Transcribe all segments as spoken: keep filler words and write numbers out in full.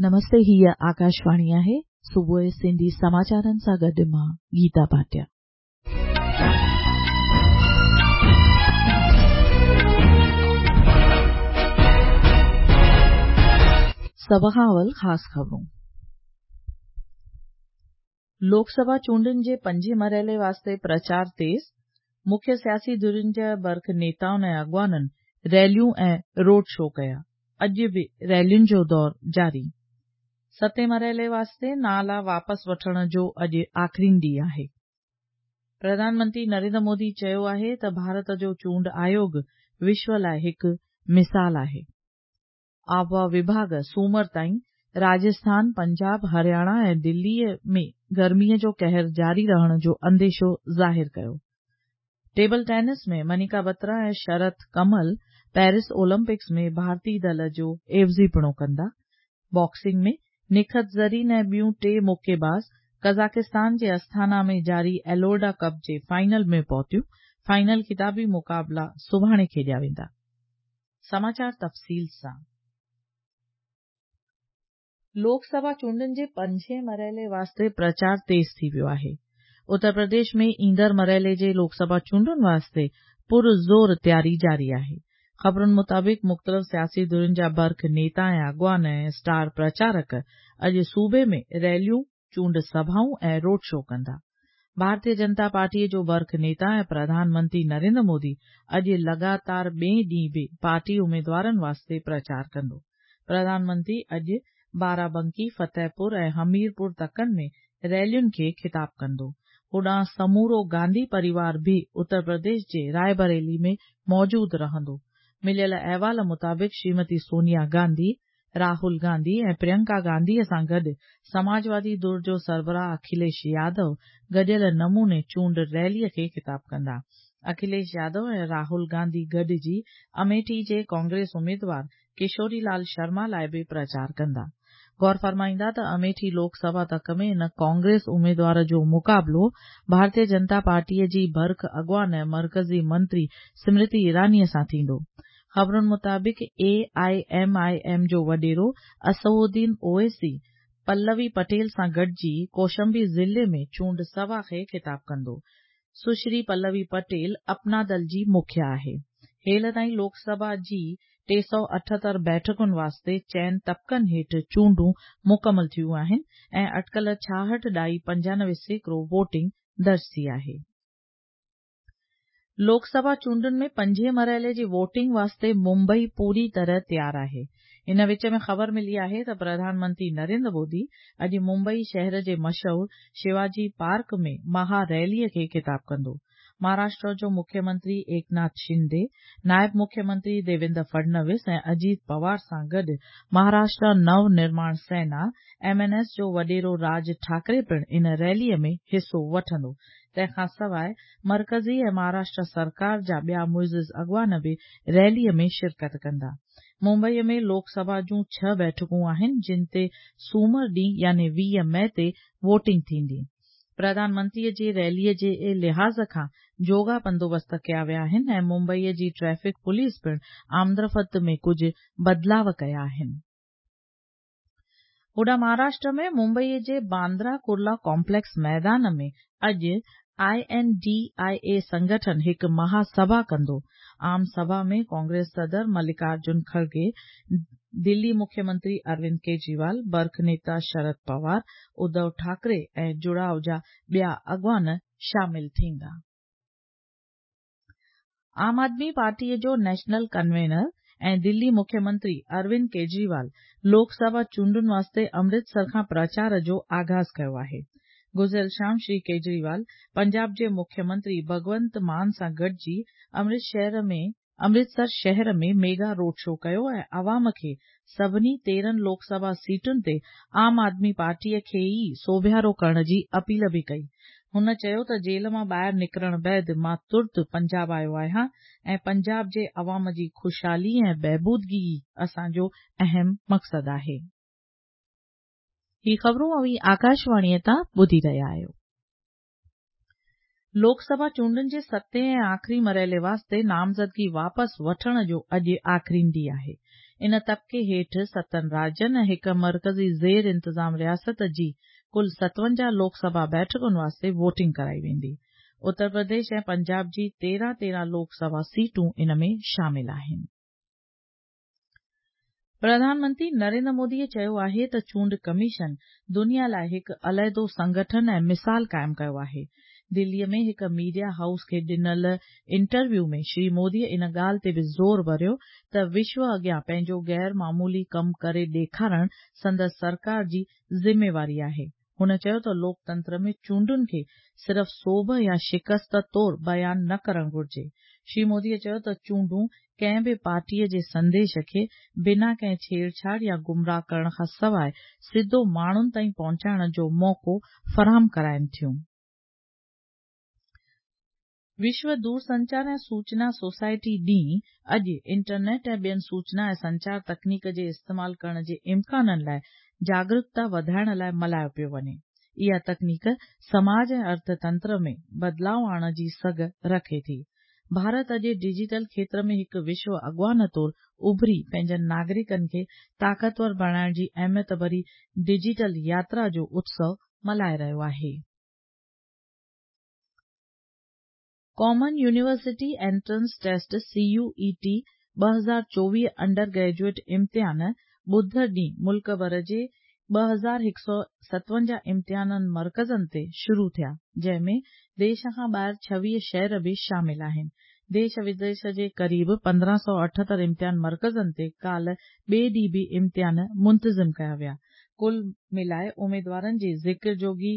नमस्ते, हीअ आकाशवाणी आहे। सुबुह सिंधी समाचारनि सां गॾु मां गीता भाटिया। सभ खां अवल ख़ासि ख़बरूं। लोकसभा चूंडनि जे पंजे मरहले वास्ते प्रचार तेज़, मुख्य सियासी धुरियुनि जा बर्ख नेताउनि ऐं अॻवाननि रैलियूं ऐं रोड शो कया। अॼु बि रैलियुनि जो दौर जारी। सतें मरहले वास्ते नाला वापसि वठण जो अॼु आख़िरी ॾींहुं आहे। प्रधानमंत्री नरेंद्र मोदी चयो आहे त भारत जो चूंड आयोग विश्व लाइ हिकु मिसाल आहे। आबहावा विभाग सूमर ताईं राजस्थान, पंजाब, हरियाणा ऐं दिल्लीअ में गर्मीअ जो कहर जारी रहण जो अंदेशो ज़ाहिर कयो। टेबल टेनिस में मनिका बत्रा ऐं शरत कमल पेरिस ओलंपिक्स में भारतीय दल जो एवज़ीपणो कंदा। बॉक्सिंग में निखत ज़रीन ऐं ॿियूं टे मुक्केबाज़ कज़ाकिस्तान जे अस्थाना में जारी एलोर्डा कप जे फाइनल में पहुतियूं। फाइनल खिताबी मुक़ाबला सुभाणे खेॾिया वेंदा। समाचार तफ़सील सां। लोकसभा चूंडनि जे पंजे मरहले वास्ते प्रचार तेज़ थी वियो आहे। उत्तर प्रदेश में ईंदड़ मरहले जे लोकसभा चूंडुनि वास्ते पुरज़ोर तयारी जारी आहे। ख़बरुनि मुताबिक़ मुख़्तलिफ़ सियासी धुरियुनि जा बर्ख नेता ऐं अॻवान ऐं स्टार प्रचारक अॼु सूबे में रैलियूं, चूंड सभाऊं ऐं रोड शो कंदा। भारतीय जनता पार्टीअ जो बर्ख नेता ऐं प्रधानमंत्री नरेंद्र मोदी अॼु लगातार ॿिए ॾींहुं बि पार्टी उमेदवारनि वास्ते प्रचार कंदो। प्रधानमंत्री अॼु बाराबंकी, फतेहपुर ऐं हमीरपुर तकनि में रैलियुनि खे ख़िताब कंदो। होॾां समूरो गांधी परिवार बि उत्तर प्रदेश जे रायबरेली में मौजूदु रहंदो। मिलियल अहवाल मुताबिक़ श्रीमती सोनिया गांधी, राहुल गांधी ऐं प्रियंका गांधीअ सां गॾु समाजवादी धुर जो सरबराह अखिलेश यादव गॾियल नमूने चूंड रैलीअ खे ख़िताब कंदा। अखिलेश यादव ऐं राहुल गांधी गॾिजी अमेठी जे कांग्रेस उमेदवार किशोरी लाल शर्मा लाइ बि प्रचार कंदा। गौर फरमाईंदा त अमेठी लोकसभा तक में इन कांग्रेस उमेदवार जो मुक़ाबलो भारतीय जनता पार्टीअ जी बर्ख अॻवान ऐं मर्कज़ी मंत्री स्मृति ईरानीअ सां थींदो। ख़बरुनि मुताबिक़ ए I am I am जो वॾेरो असदुद्दीन ओवैसी पल्लवी पटेल सां गॾिजी कौशंबी ज़िले में चूंड सभा खे ख़िताब कंदो। सुश्री पल्लवी पटेल अपना दल जी मुखिया आहे। हेल ताईं लोकसभा जी टे सौ अठहतरि बैठकुनि वास्ते चइनि तबकनि हेठि चूंडूं मुकमल थियूं आहिनि ऐं अटकल छाहठि ॾाई पंजानवे सैकड़ो वोटिंग दर्ज थी आहे। लोकसभा चूंडुनि में पंजे मरहले जी वोटिंग वास्ते मुंबई पूरी तरह तयारु आहे। इन विच में ख़बर मिली आहे त प्रधानमंत्री नरेंद्र मोदी अॼु मुंबई शहर जे मशहूर शिवाजी पार्क में महा रैलीअ खे ख़िताब कंदो। महाराष्ट्र जो मुख्यमंत्री एकनाथ शिंदे, नायब मुख्यमंत्री देवेंद्र फडणवीस ऐं अजीत पवार सां गॾु महाराष्ट्र नव निर्माण सेना एम एन एस जो वॾेरो राज ठाकरे पिणु इन रैलीअ में हिसो वठंदो। तंहिंखां सवाइ मर्कज़ी ऐं महाराष्ट्र सरकार जा ॿिया मुइज़िज़ अॻवान बि रैलीअ में शिरकत कंदा। मुंबईअ में लोकसभा जूं छह बैठकूं आहिनि, जिन ते सूमर ॾींहुं यानी वीह मई ते वोटिंग थींदी। प्रधानमंत्रीअ जे रैलीअ जे लिहाज़ खां जोगा बंदोबस्त कया विया आहिनि ऐं मुंबईअ जी ट्रैफिक पुलिस पिणु आमदरफ़्त में कुझु बदिलाव कया आहिनि। होॾां महाराष्ट्र में मुंबईअ जे बांद्रा कुर्ला कॉम्प्लेक्स मैदान में अॼु I N D I ए संगठन हिकु महासभा कंदो। आम सभा में कांग्रेस सदर मल्लिकार्जुन खड़गे, दिल्ली मुख्यमंत्री अरविंद केजरीवाल, बर्ख नेता शरद पवार, उद्धव ठाकरे ऐं जुड़ाव जा ॿिया अॻवान शामिल थींदा। आम आदमी पार्टीअ जो नेशनल कन्वीनर ऐं दिल्ली मुख्यमंत्री अरविंद केजरीवाल लोकसभा चूंडुनि वास्ते अमृतसर खां प्रचार जो आगाज़ कयो आहे। गुज़िरियल शाम श्री केजरीवाल पंजाब जे मुख्यमंत्री भगवंत मान सां गॾिजी अमृतसर शहर में मेगा रोड शो कयो ऐं अवाम खे सभिनी तेरहं लोकसभा सीटुनि ते आम आदमी पार्टीअ खे ई सोभियारो करण जी अपील बि कई। हुन चयो त जेल मां ॿाहिरि निकिरण बाद मां तुर्त पंजाब आयो आहियां ऐं पंजाब जे अवाम जी ख़ुशहाली ऐं बहबूदगी ई असांजो अहम मक़सदु आहे। ही ख़बरूं अव्हीं आकाशवाणीअ तां ॿुधी रहिया आहियो। लोकसभा चूंडुनि जे सतें ऐं आख़िरी मरहले वास्ते नामज़दगी वापसि वठण जो अॼु आख़िरी ॾींहुं आहे। ان طبقي هيٺ ستن راجين ۽ هڪ مرڪزي زير انتظام رياست جي ڪل ستونجاهه لوڪ سڀا بيٺڪن واسطي ووٽنگ ڪرائي ويندي. اتر پرديش ۽ پنجاب جي تيرهن تيرهن لوڪ سڀا سيٽون ان ۾ شامل آهن. پرڌان منتري نريندر موديء چيو آهي ته چونڊ ڪميشن دنيا لاء هڪ عليحدو سنگٺن ۽ مثال قائم ڪيو آهي. دليء ۾ هڪ ميڊيا هائوس کي ڏنل انٽرويو ۾ شري موديء ان ڳالهه تي به زور ڀريو ته وشو اڳيان پنهنجو غير معمولي ڪم ڪري ڏيکارڻ سندس سرڪار جي ذميواري آهي. هن چيو ته لوڪتنتر ۾ چونڊن کي صرف سوڀ يا شڪست طور بيان نه ڪرڻ گهرجي. شري موديء چيو ته چونڊون ڪنهن به پارٽيء جي سنديش کي بنا ڪنهن ڇيڙڇاڙ يا گمراهه ڪرڻ کان سواء سڌو ماڻهن تائين پهچائڻ جو موقعو فراهم ڪرائين ٿيون. وشو دورسنچار ۽ سوچنا سوسائٽي ڏينهن اڄ انٽرنيٽ ۽ ٻين سوچنا ۽ سنچار تڪنيڪ جي استعمال ڪرڻ جي امڪانن لاء جاڳرڪتا وڌائڻ لاء ملهايو پيو وڃي. اها تڪنيڪ سماج ۽ ارٿتنتر ۾ بدلاء آڻڻ جي سگهه رکي ٿي. ڀارت اڄ ڊجيٽل کيتر ۾ هڪ وشو اڳواڻ طور اڀري پنهنجن ناگرڪن کي طاقتور بڻائڻ جي اهميت ڀري ڊجيٽل ياترا جو اتسو ملهائي رهيو آهي. Common university entrance test C U E T ٻه هزار چوويهه انڊر گريجوئيٽ امتحان ٻڌر ڏينهن ملڪ ڀر جي ٻه هزار هڪ سؤ ستونجاهه امتحانن مرڪزن تي شروع ٿيا، جنهن ۾ ديش کان ٻاهر ڇويهه شهر به شامل آهن. ديش وديش جي قريب پندرهن سؤ اٺهتر امتحان مرڪزن تي ڪالهه ٻئي ڏينهن به امتحان منتظم ڪيا ويا. ڪل ملائي اميدوارن جي ذڪر جوڳي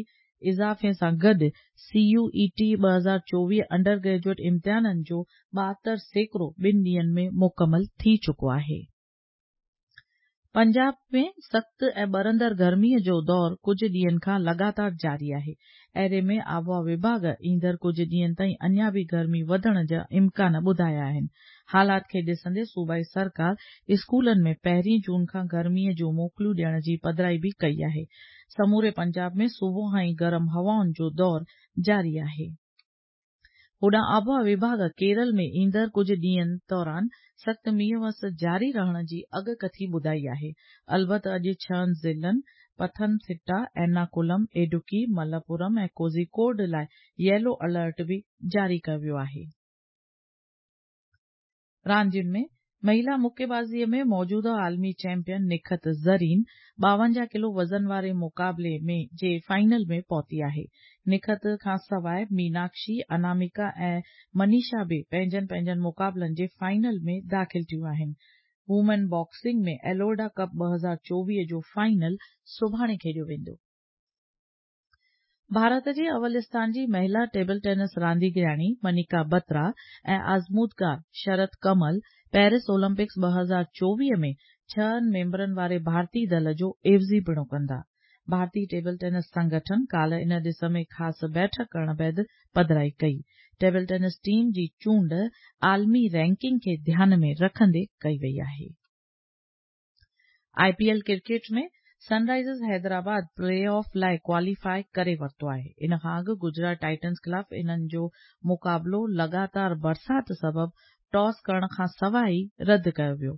اضافي سان گڏ سي يو اي ٽي ٻه هزار چوويهه انڊر گريجوئيٽ امتحانن جو ٻاهتر سيڪڙو ٻن ڏينهن ۾ مڪمل ٿي چڪو آهي. پنجاب ۾ سخت ۽ ٻرندڙ گرميء جو دور ڪجهه ڏينهن کان لڳاتار جاري آهي. اهڙي ۾ آبهوا وڀاڳ ايندڙ ڪجهه ڏينهن تائين اڃا به گرمي وڌڻ جا امڪان ٻڌايا آهن. حالات کي ڏسندي صوبائي سرڪار اسڪولن ۾ پهرين جون کان گرميء جون موڪلون ڏيڻ جي پڌرائي به ڪئي آهي. سموري پنجاب ۾ صبح کان ئي گرم هوائن جو دور جاري آهي. هوڏانهن آبهوا وڀاڳ ڪيرل ۾ ايندڙ ڪجهه ڏينهن دوران سخت مينهن وس جاري رهڻ جي اڳڪٿي ٻڌائي آهي. البت اڄ ڇهن ضلعن پٿنٿٽا، ايرناڪولم، اڊوڪي، ملپورم ۽ ڪوزيڪوڊ لاء ييلو الرٽ به جاري ڪيو ويو آهي. راندين ۾ مهلا مڪيبازيء ۾ موجوده عالمي چيمپيئن نکت زرين ٻاونجاهه ڪلو وزن واري مقابلي ۾ جي فائنل ۾ پهتي آهي. نکت کان سواء ميناڪشي، اناميڪا ۽ منيشا به پنهنجن پنهنجن مقابلن جي فائنل ۾ داخل ٿيون آهن. وومين باڪسنگ ۾ ايلورڊا ڪپ ٻه هزار چوويهه جو فائنل سڀاڻي کيڏيو ويندو. ڀارت جي اول اسٿان جي مهلا ٽيبل ٽينس رانديگرياڻي منيڪا بترا ۽ آزمودگار شرت ڪمل پيرس اولمپڪس ٻه هزار چوويهه ۾ ڇهن ميمبرن واري ڀارتي دل جو عيوضي پڻو ڪندا. ڀارتي ٽيبل ٽينس سنگٺن ڪالهه ان ڏس ۾ خاص بيٺڪ ڪرڻ بعد پڌرائي ڪئي. ٽيبل ٽينس ٽيم جي چونڊ عالمي رينڪنگ کي ڌيان ۾ رکندي ڪئي وئي آهي. I P L cricket ۾ Sunrisers Hyderabad playoff لاءِ ڪواليفائي ڪري ورتو آهي. ان کان اڳ گجرات ٽائٽنز خلاف انهن جو مقابلو لڳاتار برسات سبب ٽاس ڪرڻ کان سواءِ ئي رد ڪيو ويو.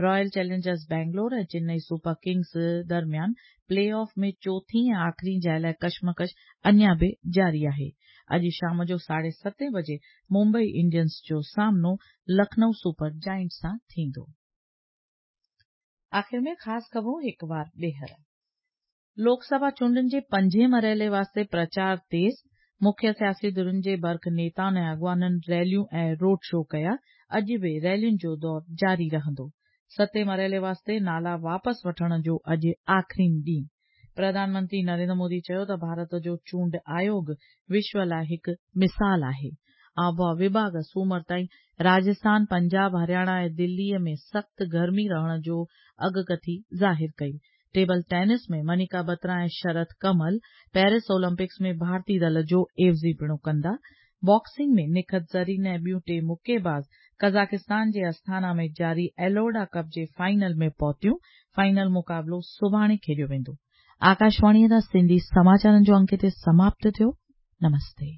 Royal Challengers Bangalore ۽ Chennai super Kings درميان پلي آف ۾ چوٿين ۽ آخري جاءِ لاءِ ڪشمڪش اڃا به جاري آهي. اڄ شام جو ساڍي ستين بجي ممبئي انڊينز جو سامنو لکنؤ سپر جائنٽس سان ٿيندو. آخر ۾ خاص خبرون هڪ بار ٻيهر. لوڪ سڀا چونڊن جي پنجين مرحلي واسطي پرچار تيز، مکيه سياسي ڌرين جي برک نيتائن ۽ اڳواڻن ريليون ۽ روڊ شو ڪيا. اڄ به ريلين جو دور جاري رهندو. ستين مرحلي واسطي نالا واپس وٺڻ جو اڄ آخرين ڏينهن. پرڌان منتري نريندر مودي چيو ته ڀارت جو چونڊ آيوگ وشو لاءِ هڪ مثال آهي. آبهوا وڀاڳ سومر تائين راجسٿان، پنجاب، هرياڻا ۽ دليءَ ۾ سخت گرمي رهڻ جو اڳڪٿي ظاهر ڪئي. ٽيبل ٽينس ۾ منيڪا بترا ۽ شرت ڪمل پيرس اولمپڪس ۾ ڀارتي دل جو عيوضي پڻو ڪندا. باڪسنگ ۾ نکت زرين ۽ ٻيون ٽي مڪيباز قزاقستان جي آستانا ۾ جاري ايلورڊا ڪپ جي فائنل ۾ پهتيون. فائنل مقابلو سڀاڻي کيڏيو ويندو. آڪاشواڻيءَ تان سنڌي سماچارن جو انڪ هتي سماپت ٿيو. نمستي.